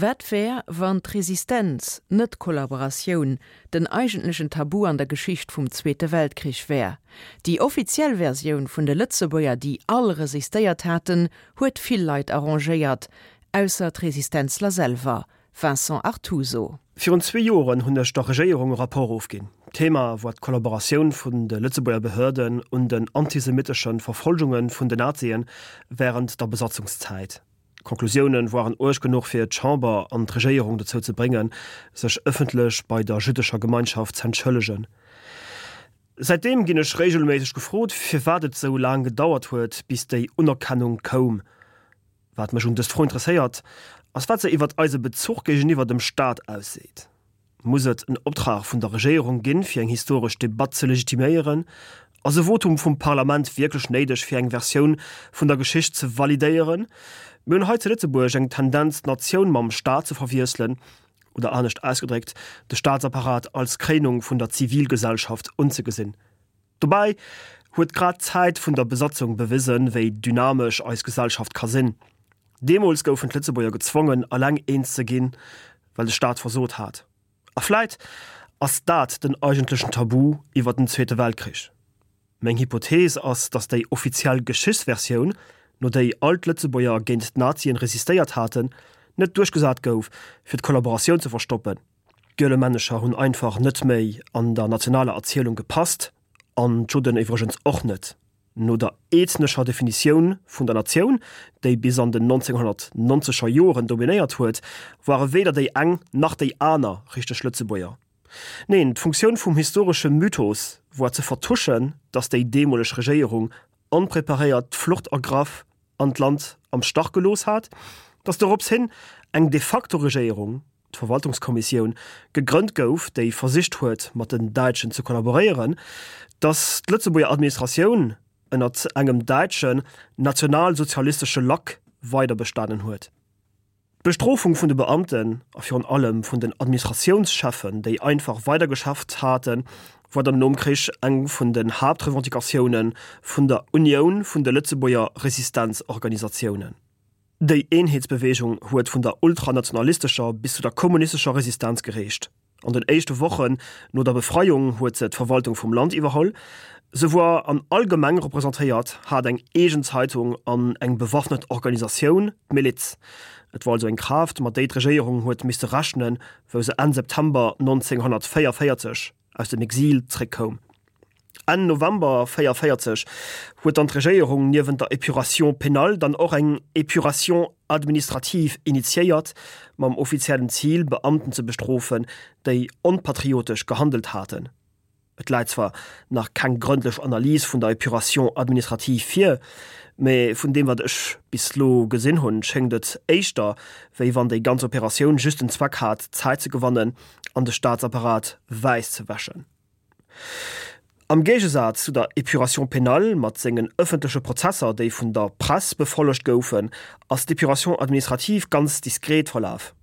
Wat wär, wann d'Resistenz, net d'Kollaboratioun, den eigentlechen Tabu an der Geschicht vum Zweete Weltkrich wär? Déi offiziell Versioun vun de Lëtzebuerger, déi all resistéiert haten, huet vill Leit arrangéiert, ausser d'Resistenzler selwer. Vincent Artuso. Virun zwee Joren hunn ech der Regéierung e Rapport ofginn. D'Thema war d'Kollaboratioun vun de Lëtzebuerger Behörden un den antisemitesche Verfolgunge vun den Nazien wärend der Besatzungszäit. D'Konklusiounen woaren uerg genuch fir d'Chamber an d'Regéierung dozou ze bréngen, sech ëffentlech bei der jüddescher Gemeinschaft z'entschëllegen. Säitdeem ginn ech regelméisseg gefrot, firwat et sou laang gedauert huet, bis déi Unerkennung koum. Wat mech un dës Fro interesséiert, ass wat se iwwert eise Bezuch géigeniwwer dem Staat ausseet. Muss et en Optrag vun der Regéierung ginn, fir eng historesch Debatt ze legitiméieren? Ass e Votum vum Parlament wierklech néideg, fir eng Versioun vun der Geschicht ze validéieren? Mir hunn hei zu Lëtzebuerg eng Tendenz, d'Natioun mam Staat ze verwiesselen, oder anescht ausgedréckt, de Staatsapparat als Kréinung vun der Zivilgesellschaft unzegesinn. Dobäi huet grad d'Zäit vun der Besatzung bewisen, wéi dynamesch eis Gesellschaft ka sinn. Deemools goufen d'Lëtzebuerger gezwongen, eleng eens ze ginn, well de Staat versot hat. A vläit ass dat den eigentlechen Tabu iwwer den Zweete Weltkrich. Meng Hypothees ass, datt déi offiziell Geschichtsversioun, no déi all d'Lëtzebuerger géint d'Nazien resistéiert haten, net duerchgesat gouf, fir d'Kollaboratioun ze verstoppen. D'Gielemännecher hunn einfach net méi an der nationaler Erzielung gepasst, an d'Judden iwwregens och net. No der ethnescher Definitioun vun der Natioun, déi bis an den 1990er Joren dominéiert huet, ware weder déi eng nach déi aner richteg Lëtzebuerger. Neen, d'Funktioun vum historesche Mythos war ze vertuschen, datt déi deemoleg Regéierung onpreparéiert d'Flucht ergraff an d'Land am Stach gelooss hat, datt dorops hin eng de facto Regéierung, d'Verwaltungskommissioun, gegrënnt gouf, déi versicht huet, mat den Däitschen ze kollaboréieren, datt d'Lëtzebuerger Administratioun ënnert engem däitschen nationalsozialistesche Lack weiderbestanen huet. D'Bestrofung vun de Beamten a virun allem vun den Administratiounscheffen, déi einfach weidergeschafft haten, war dann nom Krich eng vun den Haaptrevendicatioune vun der Unioun vun de Lëtzebuerger Resistenzorganisatiounen. Déi Eenheetsbeweegung huet vun der ultranationalistescher bis zu der kommunistescher Resistenz gereecht. An den éischte Wochen no der Befreiung huet se d'Verwaltung vum Land iwwerholl. Se woar an all Gemeng representéiert, hat eng eegen Zeitung an eng bewaffnet Organisatioun, d'Miliz. Et woar also eng Kraaft, mat déi d'Regéierung huet misste rechnen, wou se Enn September 1944 aus dem Exil zréckkoum. Enn November 44 huet dann d'Regéierung niewent der Épuration pénale dann och eng Épuration administrative initiéiert, mam offiziellen Zil, Beamten ze bestrofen, déi onpatriotesch gehandelt haten. Et läit zwar nach keng grëndlech Analys vun der Épuration administrative vir, mä vun deem wat ech bis lo gesinn hunn, schéngt et éischter, wéi wann déi ganz Operatioun just den Zweck hat, Zäit ze gewannen an de Staatsapparat wäiss ze wäschen. Am Géigesaz zu der Épuration pénale mat sengen ëffentleche Prozesser, déi vun der Press befollegt goufen, ass d'Épuration administrative ganz diskret verlaf.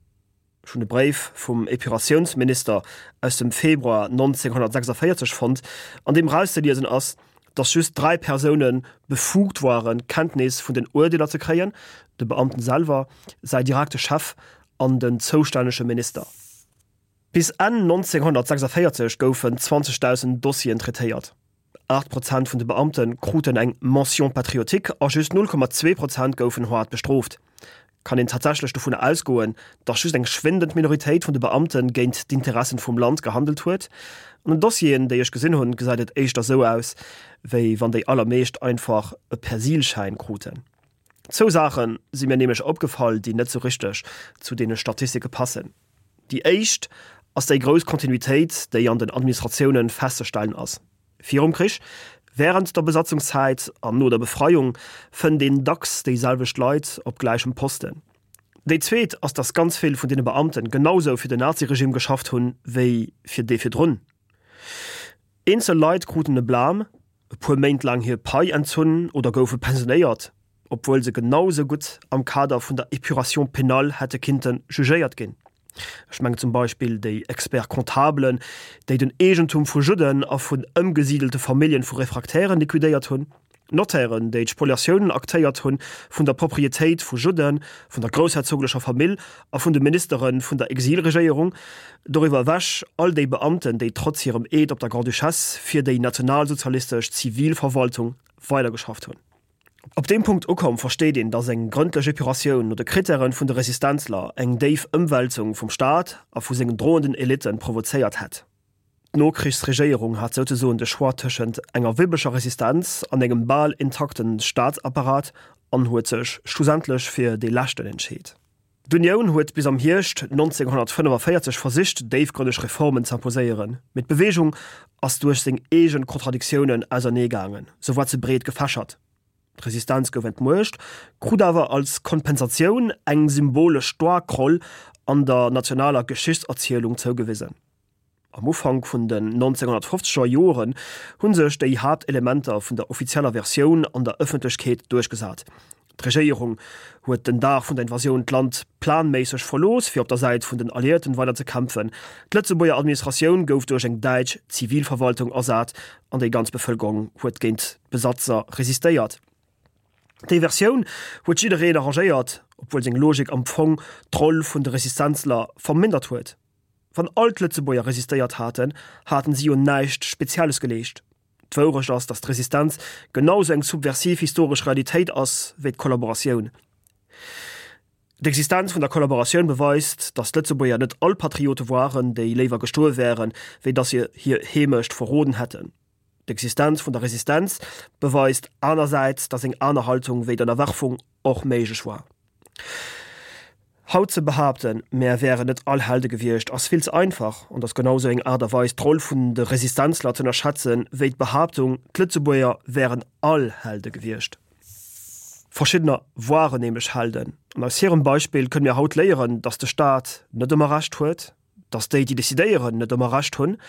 Ech hunn e Bréif vum Épuratiounsminister aus dem Februar 1946 fonnt, an deem erauszeliesen ass, datt just 3 Persoune befugt waren, Kenntnis vun den Urdeeler ze kréien, de Beamten selwer, säi direkte Chef an den zoustännege Minister. Bis Enn 1946 goufen 20.000 Dossieren traitéiert. 8 Prozent vun de Beamte kruten eng Mention patriotique a just 0,2 Prozent goufen haart bestrooft. Kann een tatsächlech dovunner ausgoen, datt just eng schwindend Minoritéit vun de Beamte géint d'Interessen vum Land gehandelt huet? An den Dossieren, déi ech gesinn hunn, gesäit et éischter sou aus, wéi wann déi allermeescht einfach e Persilschäin kruten. Zwou Saache si mir nämlech opgefall, déi net sou richteg zu deene Statistike passen. Déi éischt ass déi grouss Kontinuitéit, déi an den Administratiounen festzestellen ass. Virum Krich, während der Besatzungszäit an no der Befreiung fënnt een dacks déi selwecht Leit op gläichem Posten. Déi zweet ass, datt ganz vill vun deene Beamten genausou fir den Naziregime geschafft hunn, wéi fir dee virdrun. Eenzel Leit kruten e Blâme, e puer Méint laang hir Pai entzunn oder goufe pensionéiert, obwuel se genau sou gutt am Kader vun der Épuration pénale hätte kinnte jugéiert ginn. Ech mengen zum Beispill déi Experts-comptablen, déi den Eegentum vu Judden a vun ëmgesidelte Familljen vu Refraktären liquidéiert hunn. D'Notairen, déi d'Spoliatiounen aktéiert hunn vun der Proprietéit vu Judden, vun der groussherzoglecher Famill a vun de Ministere vun der Exilregéierung, doriwwer ewech all déi Beamten, déi trotz hirem Eed op der Grande-Duchesse fir déi nationalsozialistesch Zivilverwaltung weidergeschafft hunn. Op deem Punkt ukomm, versteet een, datt eng grëndlech Epuratioun no de Krittäre vun de Resistenzler eng déif Ëmwälzung vum Staat a vu sengen droenden Elitten provozéiert hätt. D'Nokrichsregéierung hat souzesoen de Choix tëschent enger wibbeger Resistenz an engem bal intakte Staatsapparat an huet sech schlussendlech fir dee leschten entscheet. D'Unioun huet bis am Hierscht 1945 versicht déifgrënneg Reformen z'imposéieren, mee d'Beweegung ass duerch seng eegen Kontradiktiounen ausernee gaangen, sou war ze breet gefächert. D'Resistenz gouf entmuecht, krut awer als Kompensatioun eng symbolesch staark Roll an der nationaler Geschichtserzielung zougewisen. Am Ufank vun den 1950er Joren hu sech déi Haaptelementer vun der offizieller Versioun an der Ëffentlechkeet duerchgesat. D'Regéierung huet den Dag vun der Invasioun d'Land planméisseg verlooss, fir op der Säit vun den Alliéierten weider ze kämpfen. D'Lëtzebuerger Administratioun gouf duerch eng däitsch Zivilverwaltung ersat an déi ganz Bevëlkerung huet géint d'Besatzer resistéiert. Déi Versioun huet jiddereen arrangéiert, obwuel seng Logik am Fong d'Roll vun de Resistenzler vermindert huet. Wann all d'Lëtzebuerger resistéiert haten, haten si jo näischt Spezielles geleescht. D'Wourecht ass, datt d'Resistenz genau sou eng subversiv historesch Realitéit ass wéi d'Kollaboratioun. D'Existenz vun der Kollaboratioun beweist, datt d'Lëtzebuerger net all Patriote woaren, déi léiwer gestuerwe wären, wéi datt se hir Heemecht verroden hätten. D'Existenz vun der Resistenz beweist anersäits, datt eng aner Haltung wéi d'Ënnerwerfung och méiglech war. Haut ze behaapten, mär wären net all Helde gewiescht, ass vill ze einfach an ass genau sou eng Aart a Weis d'Roll vun de Resistenzler z'ënnerschätzen, wéi d'Behaaptung, d'Lëtzebuerger wären all Helde gewiescht. Verschiddener woaren nämlech Helden an aus hirem Beispill kënne mir haut léieren, datt de Staat net ëmmer Recht huet, Datt déi, déi decidéieren, net ëmmer Recht hunn.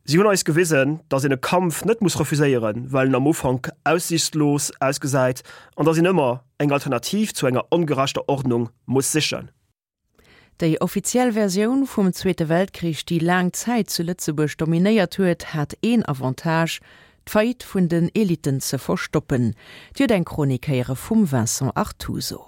Si hunn eis gewisen, datt een e Kampf net muss refuséieren, well en am Ufank aussiichtslos ausgesäit, an datt een ëmmer eng Alternativ zu enger ongerechter Ordnung muss sichen. Déi offiziell Versioun vum Zweete Weltkrich, déi laang Zäit zu Lëtzebuerg dominéiert huet, hat een Avantage, d'Faillite vun den Elitten ze verstoppen. Dir huet eng Chronik héiere vum Vincent Artuso.